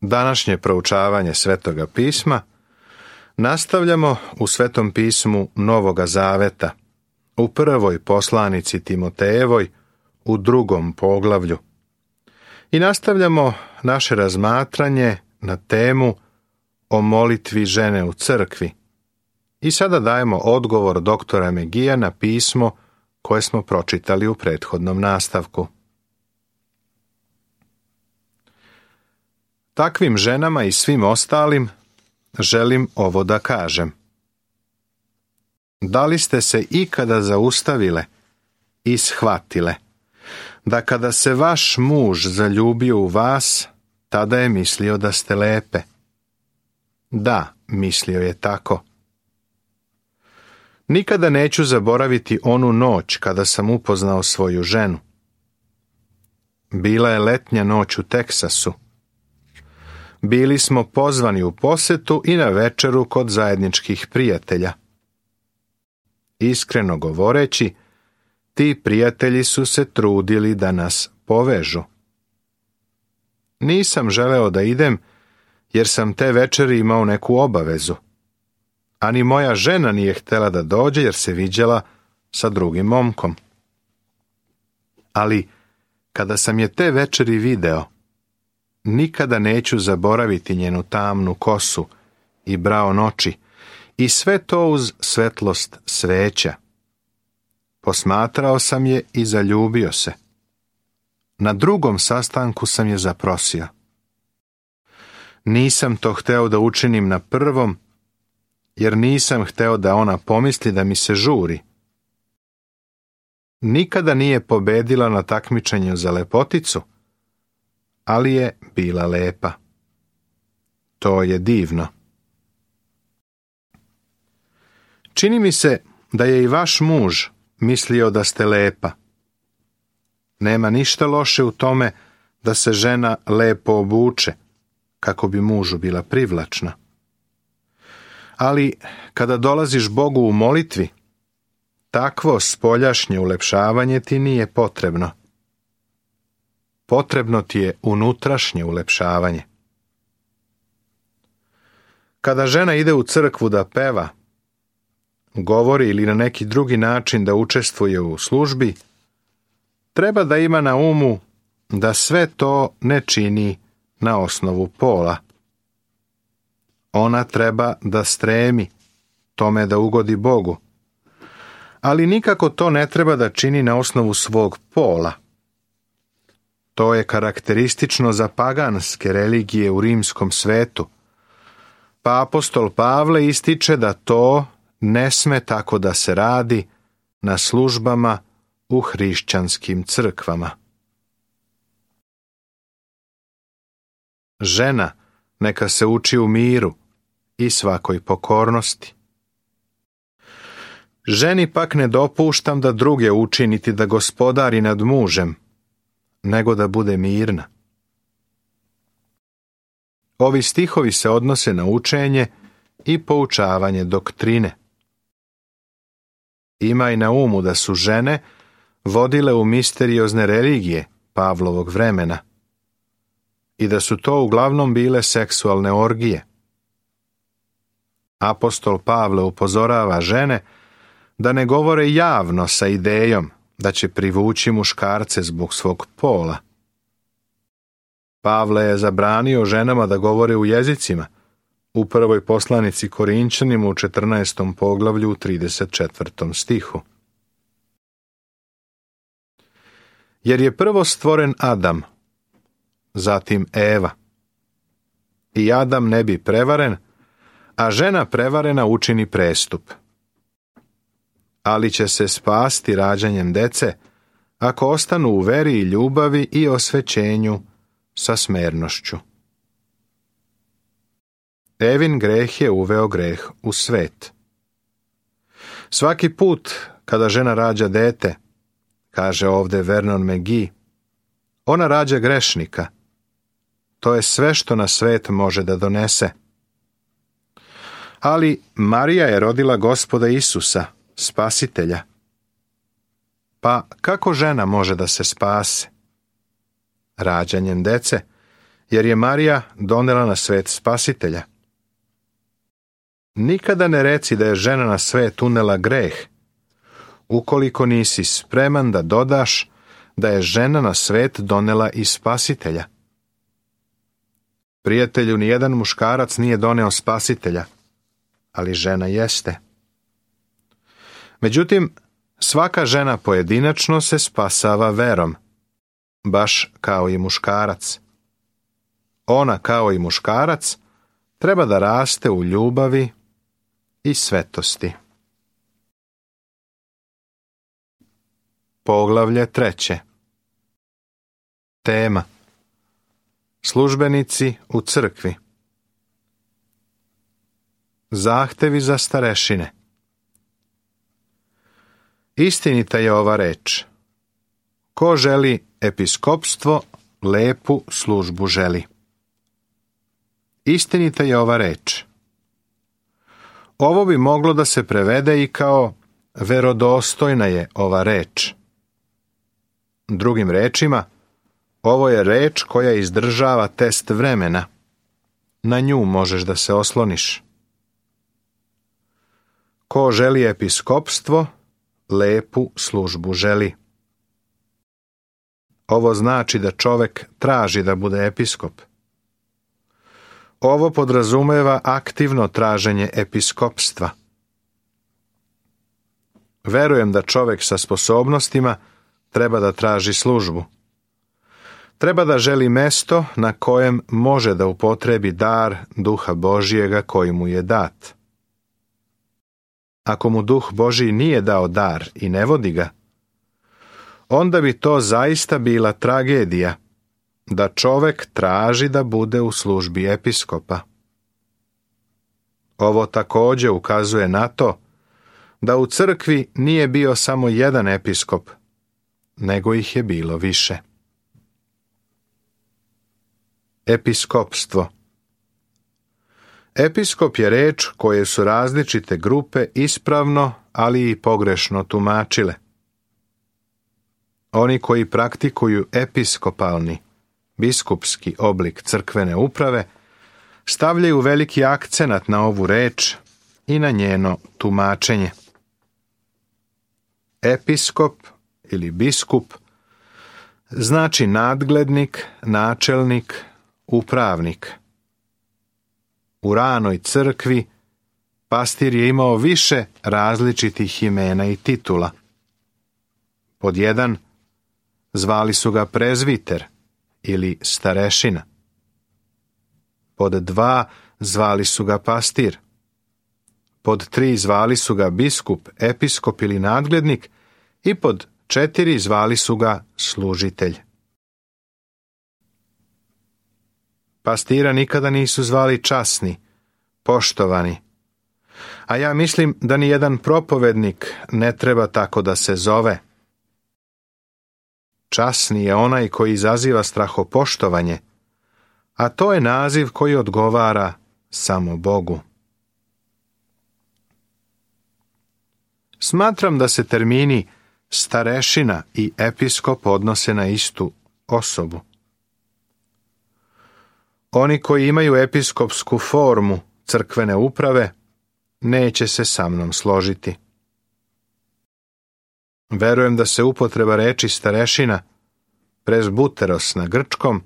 Današnje proučavanje Svetoga pisma nastavljamo u Svetom pismu Novoga Zaveta, u prvoj poslanici Timotejevoj, u 2. poglavlju. I nastavljamo naše razmatranje na temu o molitvi žene u crkvi. I sada dajemo odgovor doktora Megija na pismo koje smo pročitali u prethodnom nastavku. Takvim ženama i svim ostalim želim ovo da kažem. Da li ste se ikada zaustavile i shvatile da kada se vaš muž zaljubio u vas, tada je mislio da ste lepe? Da, mislio je tako. Nikada neću zaboraviti onu noć kada sam upoznao svoju ženu. Bila je letnja noć u Teksasu. Bili smo pozvani u posetu i na večeru kod zajedničkih prijatelja. Iskreno govoreći, ti prijatelji su se trudili da nas povežu. Nisam želeo da idem, jer sam te večeri imao neku obavezu. A ni moja žena nije htjela da dođe, jer se viđala sa drugim momkom. Ali, kada sam je te večeri video, nikada neću zaboraviti njenu tamnu kosu i braon oči, i sve to uz svetlost sveća. Posmatrao sam je i zaljubio se. Na drugom sastanku sam je zaprosio. Nisam to hteo da učinim na prvom, jer nisam hteo da ona pomisli da mi se žuri. Nikada nije pobedila na takmičenju za lepoticu, ali je bila lepa. To je divno. Čini mi se da je i vaš muž mislio da ste lepa. Nema ništa loše u tome da se žena lepo obuče, kako bi mužu bila privlačna. Ali kada dolaziš Bogu u molitvi, takvo spoljašnje ulepšavanje ti nije potrebno. Potrebno ti je unutrašnje ulepšavanje. Kada žena ide u crkvu da peva, govori ili na neki drugi način da učestvuje u službi, treba da ima na umu da sve to ne čini na osnovu pola. Ona treba da stremi tome da ugodi Bogu, ali nikako to ne treba da čini na osnovu svog pola. To je karakteristično za paganske religije u rimskom svetu, pa apostol Pavle ističe da to ne sme tako da se radi na službama u hrišćanskim crkvama. Žena neka se uči u miru i svakoj pokornosti. Ženi pak ne dopuštam da druge uči niti da gospodari nad mužem, nego da bude mirna. Ovi stihovi se odnose na učenje i poučavanje doktrine. Imaj na umu da su žene vodile u misteriozne religije Pavlovog vremena i da su to uglavnom bile seksualne orgije. Apostol Pavle upozorava žene da ne govore javno sa idejom da će privući muškarce zbog svog pola. Pavle je zabranio ženama da govore u jezicima u prvoj poslanici Korinčanima u 14. poglavlju u 34. stihu. Jer je prvo stvoren Adam, zatim Eva. I Adam ne bi prevaren, a žena prevarena učini prestup. Ali će se spasti rađanjem dece, ako ostanu u veri i ljubavi i osvećenju sa smernošću. Evin greh je uveo greh u svet. Svaki put kada žena rađa dete, kaže ovdje Vernon McGee, ona rađa grešnika. To je sve što na svet može da donese. Ali Marija je rodila Gospoda Isusa, Spasitelja. Pa kako žena može da se spase? Rađanjem dece jer je Marija donela na svet Spasitelja. Nikada ne reci da je žena na svet unela greh, ukoliko nisi spreman da dodaš da je žena na svet donela i Spasitelja. Prijatelju, nijedan muškarac nije doneo Spasitelja, ali žena jeste. Međutim, svaka žena pojedinačno se spasava verom, baš kao i muškarac. Ona, kao i muškarac, treba da raste u ljubavi i svetosti. Poglavlje 3. Tema: službenici u crkvi. Zahtevi za starešine. Istinita je ova reč: ko želi episkopstvo, lepu službu želi. Istinita je ova reč. Ovo bi moglo da se prevede i kao verodostojna je ova reč. Drugim rečima, ovo je reč koja izdržava test vremena. Na nju možeš da se osloniš. Ko želi episkopstvo, lepu službu želi. Ovo znači da čovek traži da bude episkop. Ovo podrazumeva aktivno traženje episkopstva. Verujem da čovek sa sposobnostima treba da traži službu. Treba da želi mesto na kojem može da upotrebi dar Duha Božijega koji mu je dat. Ako mu Duh Božiji nije dao dar i ne vodi ga, onda bi to zaista bila tragedija, da čovek traži da bude u službi episkopa. Ovo takođe ukazuje na to da u crkvi nije bio samo jedan episkop, nego ih je bilo više. Episkopstvo. Episkop je reč koje su različite grupe ispravno, ali i pogrešno tumačile. Oni koji praktikuju episkopalni, biskupski oblik crkvene uprave, stavljaju veliki akcenat na ovu reč i na njeno tumačenje. Episkop ili biskup znači nadglednik, načelnik, upravnik. U ranoj crkvi pastir je imao više različitih imena i titula. Pod 1 zvali su ga prezviter ili starešina. Pod 2 zvali su ga pastir. Pod 3 zvali su ga biskup, episkop ili nadglednik i pod 4 zvali su ga služitelj. Pastira nikada nisu zvali časni, poštovani, a ja mislim da ni jedan propovednik ne treba tako da se zove. Časni je onaj koji izaziva strahopoštovanje, a to je naziv koji odgovara samo Bogu. Smatram da se termini starešina i episkop odnose na istu osobu. Oni koji imaju episkopsku formu crkvene uprave neće se sa mnom složiti. Verujem da se upotreba reči starešina, presbuteros na grčkom,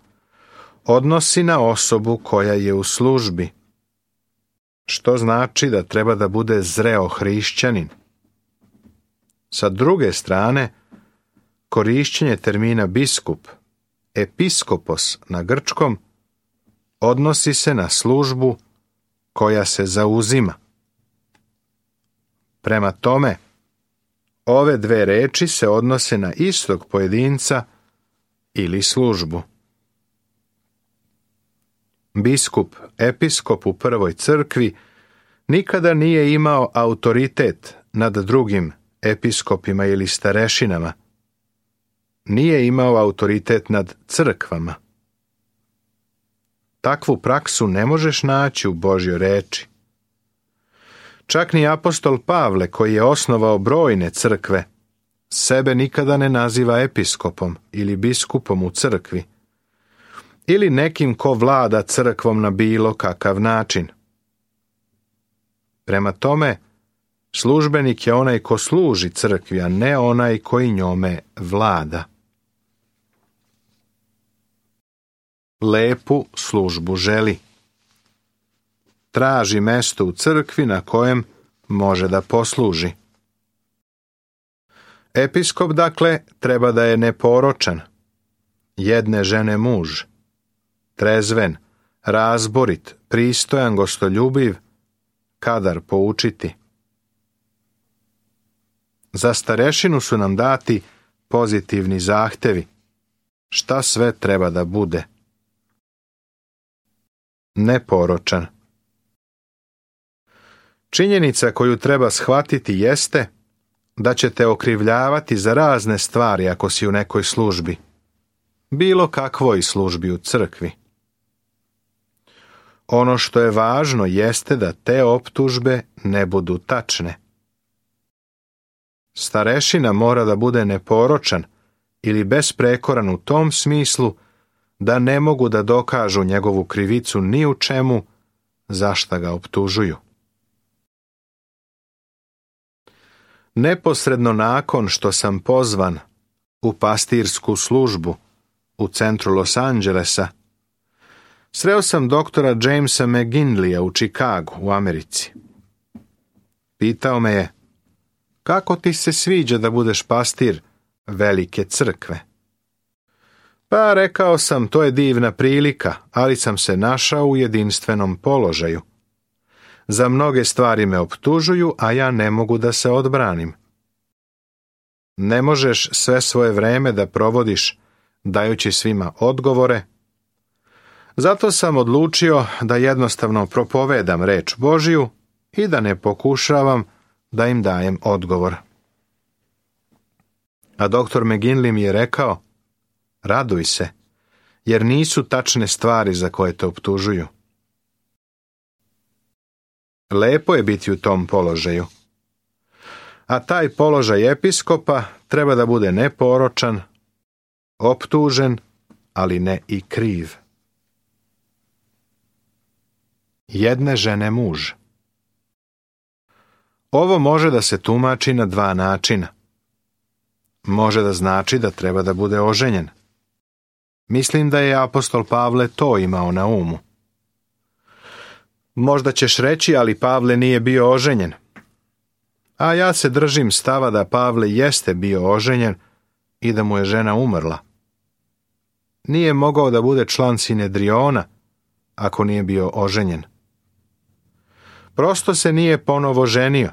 odnosi na osobu koja je u službi, što znači da treba da bude zreo hrišćanin. Sa druge strane, korišćenje termina biskup, episkopos na grčkom, odnosi se na službu koja se zauzima. Prema tome, ove dve reči se odnose na istog pojedinca ili službu. Biskup, episkop u prvoj crkvi nikada nije imao autoritet nad drugim episkopima ili starešinama. Nije imao autoritet nad crkvama. Takvu praksu ne možeš naći u Božjoj reči. Čak ni apostol Pavle, koji je osnovao brojne crkve, sebe nikada ne naziva episkopom ili biskupom u crkvi. ili nekim ko vlada crkvom na bilo kakav način. Prema tome, službenik je onaj ko služi crkvi, a ne onaj koji njome vlada. Lepu službu želi. Traži mesto u crkvi na kojem može da posluži. Episkop, dakle, treba da je neporočan, jedne žene muž, trezven, razborit, pristojan, gostoljubiv, kadar poučiti. Za starešinu su nam dati pozitivni zahtevi. Šta sve treba da bude? Neporočan. Činjenica koju treba shvatiti jeste da će te okrivljavati za razne stvari ako si u nekoj službi, bilo kakvoj službi u crkvi. Ono što je važno jeste da te optužbe ne budu tačne. Starešina mora da bude neporočan ili besprekoran u tom smislu da ne mogu da dokažu njegovu krivicu ni u čemu za šta ga optužuju. Neposredno nakon što sam pozvan u pastirsku službu u centru Los Angelesa, sreo sam doktora Jamesa McGinleya u Chicagu u Americi. Pitao me je, kako ti se sviđa da budeš pastir velike crkve? Pa rekao sam, to je divna prilika, ali sam se našao u jedinstvenom položaju. Za mnoge stvari me optužuju, a ja ne mogu da se odbranim. Ne možeš sve svoje vreme da provodiš dajući svima odgovore. Zato sam odlučio da jednostavno propovedam reč Božiju i da ne pokušavam da im dajem odgovor. A doktor McGinley mi je rekao, raduj se, jer nisu tačne stvari za koje te optužuju. Lepo je biti u tom položaju. A taj položaj episkopa treba da bude neporočan, optužen, ali ne i kriv. Jedne žene muž. Ovo može da se tumači na dva načina. Može da znači da treba da bude oženjen. Mislim da je apostol Pavle to imao na umu. Možda ćeš reći, ali Pavle nije bio oženjen. A ja se držim stava da Pavle jeste bio oženjen i da mu je žena umrla. Nije mogao da bude član Sinedriona ako nije bio oženjen. Prosto se nije ponovo ženio,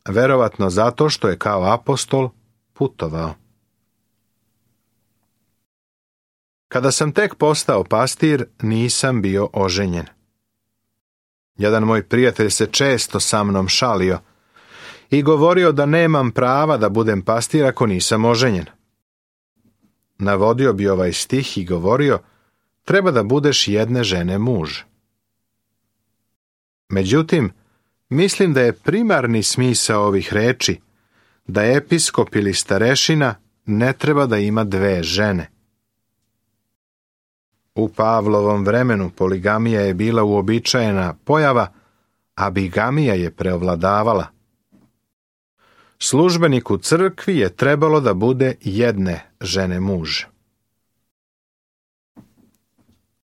verovatno zato što je kao apostol putovao. Kada sam tek postao pastir, nisam bio oženjen. Jedan moj prijatelj se često sa mnom šalio i govorio da nemam prava da budem pastir ako nisam oženjen. Navodio bi ovaj stih i govorio, treba da budeš jedne žene muž. Međutim, mislim da je primarni smisao ovih reči da episkop ili starešina ne treba da ima dve žene. U Pavlovom vremenu poligamija je bila uobičajena pojava, a bigamija je preovladavala. Službenik u crkvi je trebalo da bude jedne žene muž.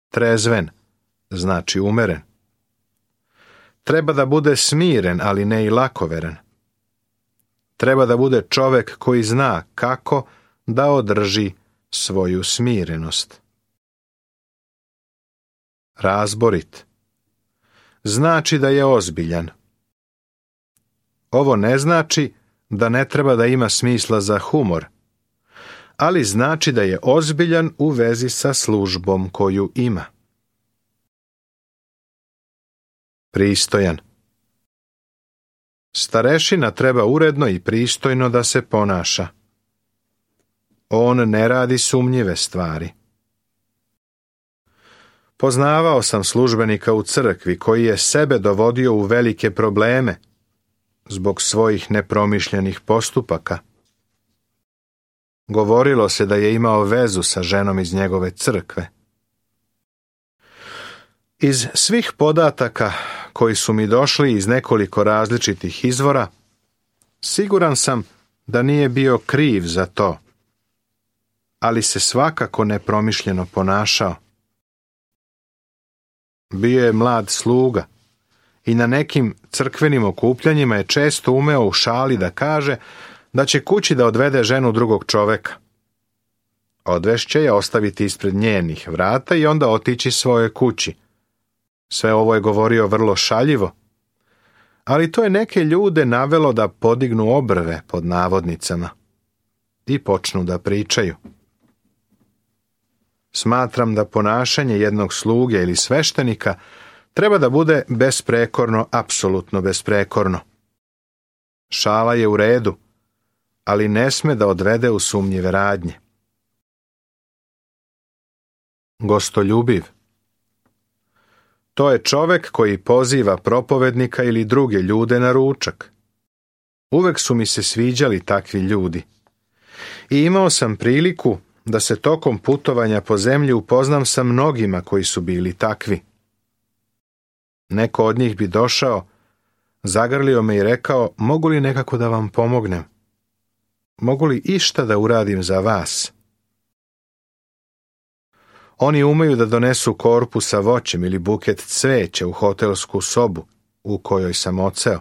Trezven znači umeren. Treba da bude smiren, ali ne i lakoveren. Treba da bude čovek koji zna kako da održi svoju smirenost. Razborit znači da je ozbiljan. Ovo ne znači da ne treba da ima smisla za humor, ali znači da je ozbiljan u vezi sa službom koju ima. Pristojan. Starešina treba uredno i pristojno da se ponaša. On ne radi sumnjive stvari. Poznavao sam službenika u crkvi koji je sebe dovodio u velike probleme zbog svojih nepromišljenih postupaka. Govorilo se da je imao vezu sa ženom iz njegove crkve. Iz svih podataka koji su mi došli iz nekoliko različitih izvora, siguran sam da nije bio kriv za to, ali se svakako nepromišljeno ponašao. Bio je mlad sluga i na nekim crkvenim okupljanjima je često umeo u šali da kaže da će kući da odvede ženu drugog čoveka. Odvešće je ostaviti ispred njenih vrata i onda otići svojoj kući. Sve ovo je govorio vrlo šaljivo, ali to je neke ljude navelo da podignu obrve pod navodnicama i počnu da pričaju. Smatram da ponašanje jednog sluge ili sveštenika treba da bude besprekorno, apsolutno besprekorno. Šala je u redu, ali ne sme da odvede u sumnjive radnje. Gostoljubiv. To je čovek koji poziva propovednika ili druge ljude na ručak. Uvek su mi se sviđali takvi ljudi. I imao sam priliku da se tokom putovanja po zemlji upoznam sa mnogima koji su bili takvi. Neko od njih bi došao, zagrlio me i rekao: mogu li nekako da vam pomognem? Mogu li išta da uradim za vas? Oni umeju da donesu korpu sa voćem ili buket cveća u hotelsku sobu u kojoj sam odseo.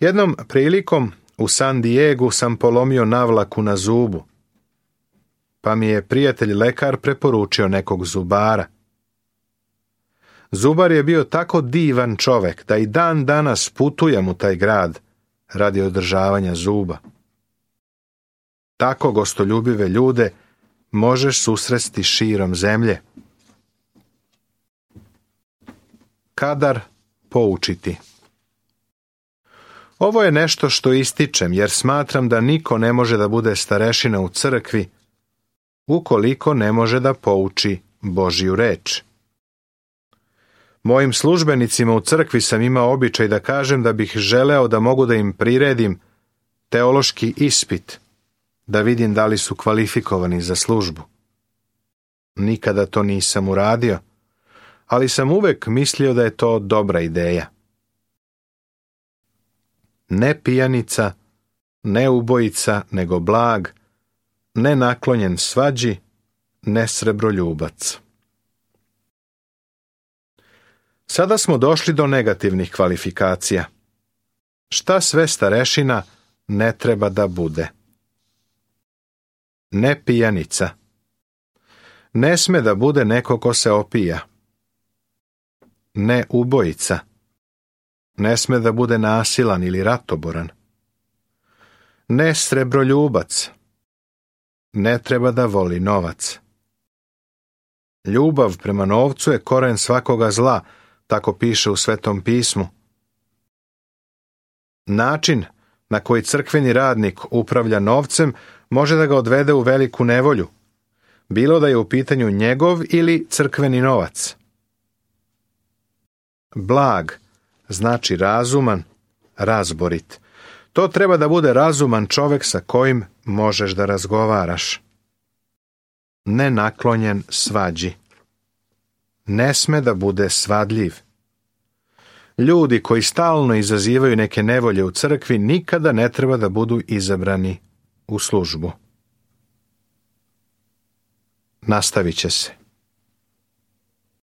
Jednom prilikom u San Diegu sam polomio navlaku na zubu, pa mi je prijatelj lekar preporučio nekog zubara. Zubar je bio tako divan čovek da i dan danas putujem u taj grad radi održavanja zuba. Tako gostoljubive ljude možeš susresti širom zemlje. Kadar poučiti. Ovo je nešto što ističem jer smatram da niko ne može da bude starešina u crkvi ukoliko ne može da pouči Božju reč. Mojim službenicima u crkvi sam imao običaj da kažem da bih želeo da mogu da im priredim teološki ispit, da vidim da li su kvalifikovani za službu. Nikada to nisam uradio, ali sam uvek mislio da je to dobra ideja. Ne pijanica, ne ubojica, nego blag, ne naklonjen svađi, ne srebroljubac. Sada smo došli do negativnih kvalifikacija. Šta sve starešina ne treba da bude? Ne pijanica. Ne sme da bude neko ko se opija. Ne ubojica. Ne sme da bude nasilan ili ratoboran. Ne srebroljubac. Ne treba da voli novac. Ljubav prema novcu je koren svakoga zla, tako piše u Svetom pismu. Način na koji crkveni radnik upravlja novcem može da ga odvede u veliku nevolju, bilo da je u pitanju njegov ili crkveni novac. Blag znači razuman, razborit. To treba da bude razuman čovek sa kojim možeš da razgovaraš. Nenaklonjen svađi. Ne sme da bude svadljiv. Ljudi koji stalno izazivaju neke nevolje u crkvi nikada ne treba da budu izabrani u službu. Nastavit će se.